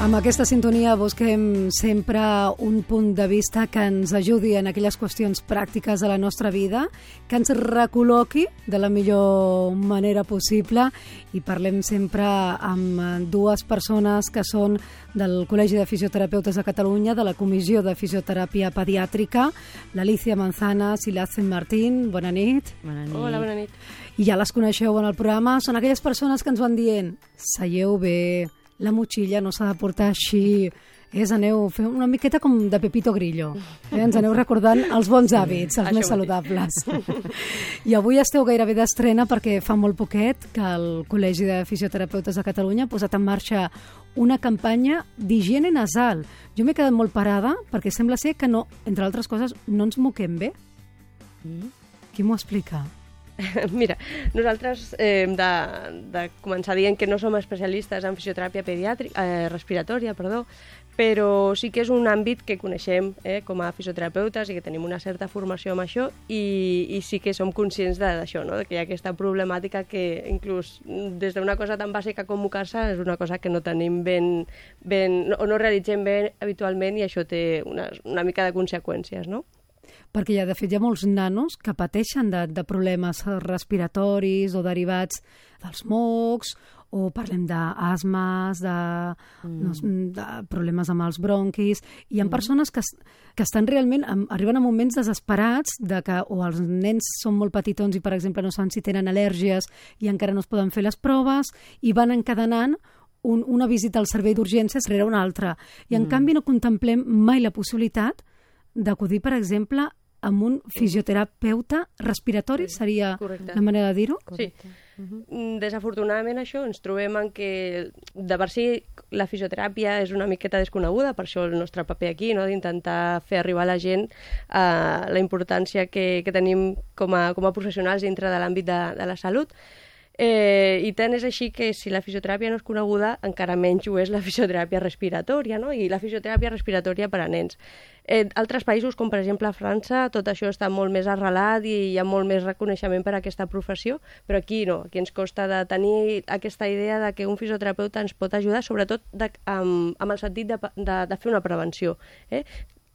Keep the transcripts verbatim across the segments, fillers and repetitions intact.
Amb aquesta sintonia busquem sempre un punt de vista que ens ajudi en aquelles qüestions pràctiques de la nostra vida, que ens recol·loqui de la millor manera possible, i parlem sempre amb dues persones que són del Col·legi de Fisioterapeutes de Catalunya, de la Comissió de Fisioteràpia Pediàtrica, l'Alicia Manzanas i l'Azem Martín. Bona nit. Bona nit. Hola, bona nit. I ja les coneixeu en el programa, són aquelles persones que ens van dient: seieu bé, la motxilla no s'ha de portar així, és, aneu fent una miqueta com de Pepito Grillo, eh? Ens aneu recordant els bons hàbits, els més saludables. I avui esteu gairebé d'estrena perquè fa molt poquet que el Col·legi de Fisioterapeutes de Catalunya ha posat en marxa una campanya d'higiene nasal. Jo m'he quedat molt parada perquè sembla ser que no, entre altres coses, no ens moquem bé. Mm. Qui m'ho explica? Mira, nosaltres eh, hem de, de començar dient que no som especialistes en fisioteràpia pediàtrica, eh, respiratòria, perdó, però sí que és un àmbit que coneixem eh, com a fisioterapeutes i que tenim una certa formació amb això, i, i sí que som conscients d'això, no? De que hi ha aquesta problemàtica que inclús des d'una cosa tan bàsica com mocar-se és una cosa que no tenim ben, ben o no realitzem bé habitualment, i això té una, una mica de conseqüències, no? Perquè ja, de fet, hi ha molts nanos que pateixen de, de problemes respiratoris o derivats dels mocs, o parlem d'asmes, de, mm. no, de problemes amb els bronquis. Hi ha mm. persones que, que estan realment, arriben a moments desesperats de que o els nens són molt petitons i, per exemple, no saben si tenen al·lèrgies i encara no es poden fer les proves, i van encadenant un, una visita al servei d'urgències rere una altra. I, en mm. canvi, no contemplem mai la possibilitat d'acudir, per exemple, amb un fisioterapeuta respiratori, sí, seria correcte. La manera de dir-ho? Sí. Uh-huh. Desafortunadament això ens trobem en que de per si la fisioteràpia és una miqueta desconeguda, per això el nostre paper aquí, no? D'intentar fer arribar a la gent eh, la importància que, que tenim com a, com a professionals dintre de l'àmbit de, de la salut. Eh, I tant és així que si la fisioteràpia no és coneguda, encara menys ho és la fisioteràpia respiratòria, no? I la fisioteràpia respiratòria per a nens. En eh, altres països, com per exemple a França, tot això està molt més arrelat i hi ha molt més reconeixement per a aquesta professió, però aquí no, aquí ens costa de tenir aquesta idea de que un fisioterapeuta ens pot ajudar, sobretot de, amb, amb el sentit de, de, de fer una prevenció, eh?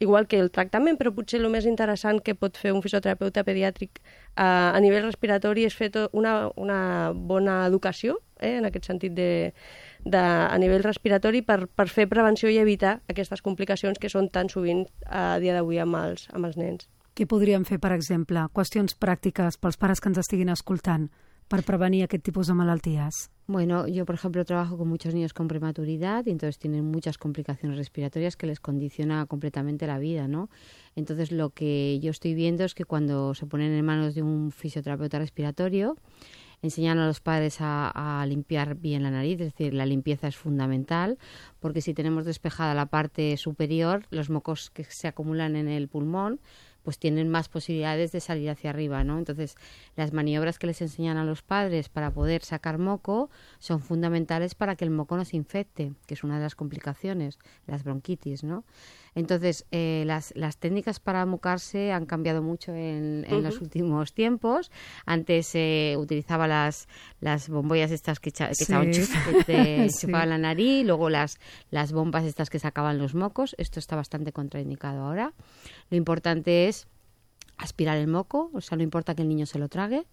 Igual que el tractament, però potser el més interessant que pot fer un fisioterapeuta pediàtric eh, a nivell respiratori és fer una, una bona educació, eh, en aquest sentit de, de, a nivell respiratori, per, per fer prevenció i evitar aquestes complicacions que són tan sovint a dia d'avui amb els, amb els nens. Què podríem fer, per exemple? Qüestions pràctiques pels pares que ens estiguin escoltant per prevenir aquest tipus de malalties. Bueno, yo, por ejemplo, trabajo con muchos niños con prematuridad y entonces tienen muchas complicaciones respiratorias que les condiciona completamente la vida, ¿no? Entonces, lo que yo estoy viendo es que cuando se ponen en manos de un fisioterapeuta respiratorio, enseñan a los padres a, a limpiar bien la nariz, es decir, la limpieza es fundamental, porque si tenemos despejada la parte superior, los mocos que se acumulan en el pulmón, pues tienen más posibilidades de salir hacia arriba, ¿no? Entonces, las maniobras que les enseñan a los padres para poder sacar moco son fundamentales para que el moco no se infecte, que es una de las complicaciones, las bronquitis, ¿no? Entonces, eh, las, las técnicas para mocarse han cambiado mucho en, en uh-huh. los últimos tiempos. Antes se eh, utilizaba las, las bombollas estas que, echa, que sí. echaban chuf, que te sí. chupaban la nariz, luego las, las bombas estas que sacaban los mocos. Esto está bastante contraindicado ahora. Lo importante es aspirar el moco, o sea, no importa que el niño se lo trague.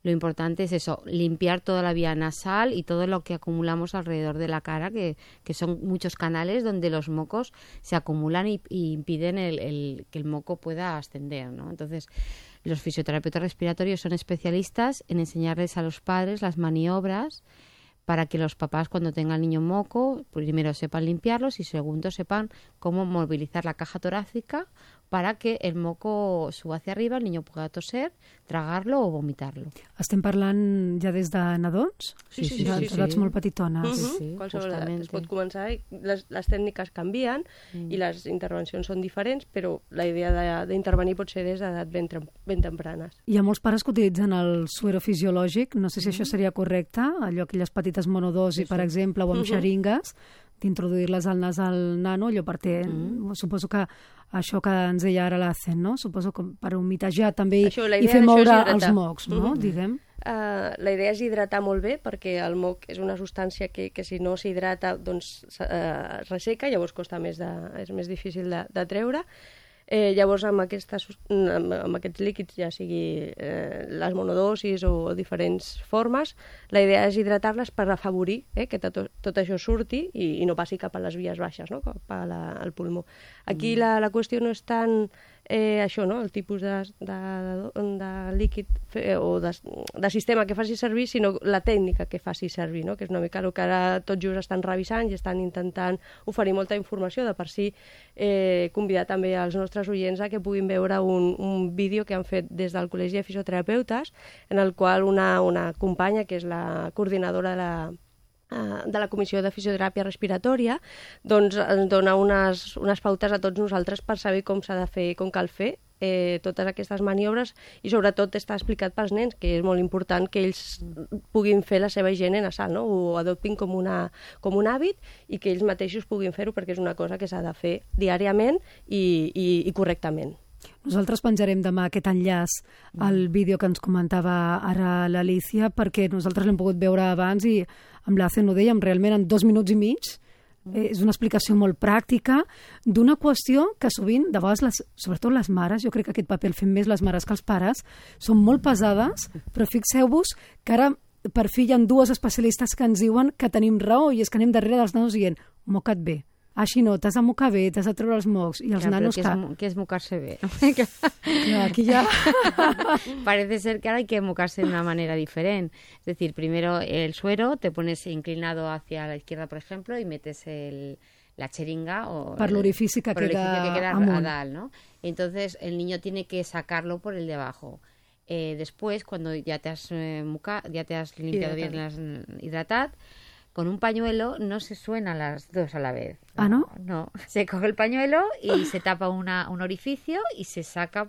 Lo importante es eso, limpiar toda la vía nasal y todo lo que acumulamos alrededor de la cara, que, que son muchos canales donde los mocos se acumulan y, y impiden el, el, que el moco pueda ascender, ¿no? Entonces, los fisioterapeutas respiratorios son especialistas en enseñarles a los padres las maniobras para que los papás, cuando tengan niño moco, primero sepan limpiarlos y segundo sepan cómo movilizar la caja torácica para que el moco suba hacia arriba, el niño pueda toser, tragar-lo o vomitar-lo. Estem parlant ja des de nadons? Sí, sí, sí. sí, sí, sí. sí. molt petitones. Uh-huh. Sí, sí, qualsevol edat es pot començar, i les, les tècniques canvien mm. i les intervencions són diferents, però la idea d'intervenir pot ser des d'edat ben, ben tempranes. Hi ha molts pares que utilitzen el suero fisiològic, no sé si mm. això seria correcte, allò aquelles petites monodosi, sí, sí. per exemple, o amb uh-huh. xeringues, d'introduir-les al nas al nano, allò per ter, mm. suposo que això que ens deia ara l'Azem, no? Suposo que per humitejar també això, i fer moure els mocs, no? Mm-hmm. Diguem. uh, la idea és hidratar molt bé, perquè el moc és una substància que, que si no s'hidrata doncs uh, es resseca, llavors costa més de, és més difícil de, de treure. Eh, llavors, amb, aquestes, amb, amb aquests líquids, ja sigui eh, les monodosis o diferents formes, la idea és hidratar-les per afavorir eh, que tot, tot això surti i, i no passi cap a les vies baixes, no? Cap a la, al pulmó. Aquí mm. la, la qüestió no és tant eh, això, no? El tipus de, de, de líquid fe, o de, de sistema que faci servir, sinó la tècnica que faci servir, no? Que és una mica el que ara tot just estan revisant i estan intentant oferir molta informació, de per si eh, convidar també als nostres oients a que puguin veure un, un vídeo que han fet des del Col·legi de Fisioterapeutes, en el qual una, una companya, que és la coordinadora de la, de la Comissió de Fisioteràpia Respiratòria, doncs ens dona unes, unes pautes a tots nosaltres per saber com s'ha de fer, com cal fer eh, totes aquestes maniobres, i sobretot està explicat pels nens, que és molt important que ells puguin fer la seva higiene nasal, no? Ho adoptin com, una, com un hàbit i que ells mateixos puguin fer-ho, perquè és una cosa que s'ha de fer diàriament i, i, i correctament. Nosaltres penjarem demà aquest enllaç al vídeo que ens comentava ara l'Alícia, perquè nosaltres l'hem pogut veure abans i amb l'Acen ho dèiem, realment en dos minuts i mig. Eh, és una explicació molt pràctica d'una qüestió que sovint, de vegades, les, sobretot les mares, jo crec que aquest paper el fem més les mares que els pares, són molt pesades, però fixeu-vos que ara per fi hi ha dues especialistes que ens diuen que tenim raó, i és que anem darrere dels nanos dient moca't bé. Així no, t'has de mocar bé, t'has de treure els mocs. I els ja, nanos... ¿Qué es, ¿Qué es mocarse bé? No, aquí ya... Parece ser que ahora hay que mocarse de una manera diferente. Es decir, primero el suero, te pones inclinado hacia la izquierda, por ejemplo, y metes el, la cheringa o... Per l'orifici que, que queda amunt. A dalt, ¿no? Entonces, el niño tiene que sacarlo por el de abajo. Eh, después, cuando ya te has, eh, muca, ya te has limpiado bien, las hidratado, con un pañuelo no se suenan las dos a la vez. ¿Ah, no? No, se coge el pañuelo y se tapa una, un orificio y se saca,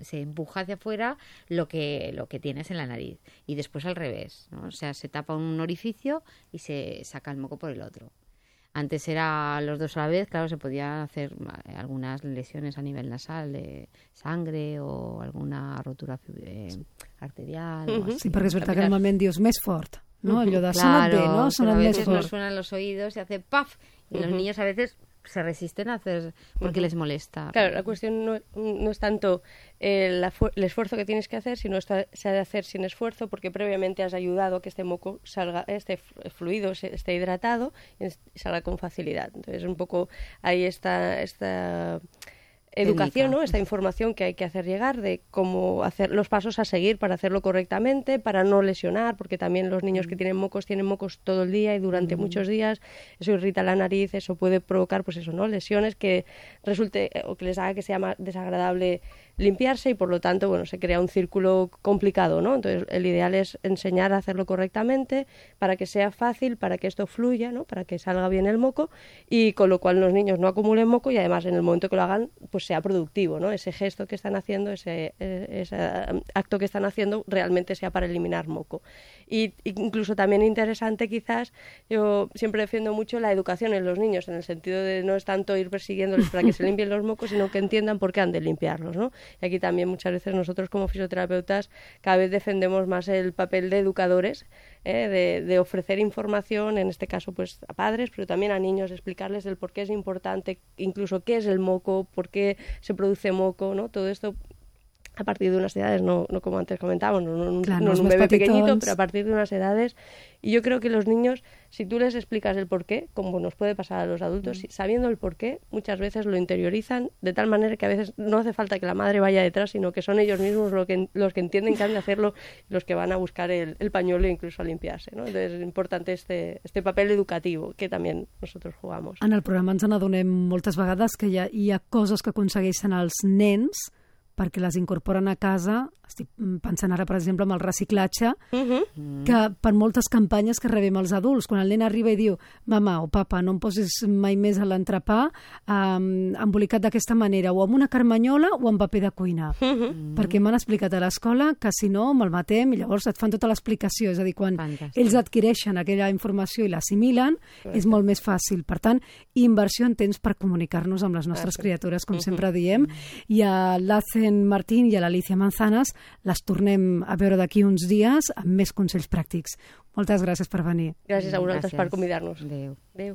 se empuja hacia afuera lo que, lo que tienes en la nariz. Y después al revés, ¿no? O sea, se tapa un orificio y se saca el moco por el otro. Antes era los dos a la vez, claro, se podían hacer algunas lesiones a nivel nasal de sangre o alguna rotura eh, arterial. Uh-huh. O así. Sí, perquè és veritat que normalment dius més fort, ¿no? Allò de claro, sona't bé, ¿no? Sona't a més veces fort. nos suenan los oídos y hace ¡paf! Y uh-huh. los niños a veces se resisten a hacer porque uh-huh. les molesta. Claro, la cuestión no, no es tanto eh, la el esfuerzo que tienes que hacer, sino está, se ha de hacer sin esfuerzo, porque previamente has ayudado a que este moco salga, este fluido esté hidratado y salga con facilidad. Entonces, un poco ahí está esta educación, ¿no? Esta información que hay que hacer llegar de cómo hacer los pasos a seguir para hacerlo correctamente, para no lesionar, porque también los niños que tienen mocos tienen mocos todo el día y durante mm. muchos días, eso irrita la nariz, eso puede provocar, pues eso, ¿no? Lesiones que resulte o que les haga que sea más desagradable limpiarse, y por lo tanto, bueno, se crea un círculo complicado, ¿no? Entonces, el ideal es enseñar a hacerlo correctamente para que sea fácil, para que esto fluya, ¿no? Para que salga bien el moco, y con lo cual los niños no acumulen moco y además en el momento que lo hagan, pues sea productivo, ¿no? Ese gesto que están haciendo, ese, ese acto que están haciendo realmente sea para eliminar moco. Y incluso también interesante, quizás, yo siempre defiendo mucho la educación en los niños, en el sentido de no es tanto ir persiguiéndoles para que se limpien los mocos, sino que entiendan por qué han de limpiarlos, ¿no? Y aquí también muchas veces nosotros como fisioterapeutas cada vez defendemos más el papel de educadores, ¿eh? de, de ofrecer información, en este caso pues a padres, pero también a niños, explicarles el por qué es importante, incluso qué es el moco, por qué se produce moco, ¿no? Todo esto a partir de unas edades, no, no como antes comentábamos, no, no, claro, no un bebé pequeñito, pero a partir de unas edades. Y yo creo que los niños, si tú les explicas el porqué, como nos puede pasar a los adultos, mm. sabiendo el porqué, muchas veces lo interiorizan de tal manera que a veces no hace falta que la madre vaya detrás, sino que son ellos mismos lo que, los que entienden que han de hacerlo, los que van a buscar el, el pañuelo e incluso a limpiarse, ¿no? Entonces es importante este, este papel educativo que también nosotros jugamos. En el programa ens n'adonem moltes vegades que hi ha, hi ha coses que aconsegueixen els nens perquè les incorporen a casa. Estic pensant ara, per exemple, amb el reciclatge, uh-huh. que per moltes campanyes que rebem els adults, quan el nen arriba i diu mama o papa, no em posis mai més a l'entrepà um, embolicat d'aquesta manera, o amb una carmanyola o amb paper de cuina. Uh-huh. Perquè m'han explicat a l'escola que si no me'l matem, i llavors et fan tota l'explicació. És a dir, quan Fantàstic. Ells adquireixen aquella informació i l'assimilen, Correcte. És molt més fàcil. Per tant, inversió en temps per comunicar-nos amb les nostres ah, sí. criatures, com uh-huh. sempre diem. I a l'A C Carmen Martín i a l'Alicia Manzanas. Les tornem a veure d'aquí uns dies amb més consells pràctics. Moltes gràcies per venir. Gràcies a vosaltres Gràcies. per convidar-nos. Adéu. Adéu.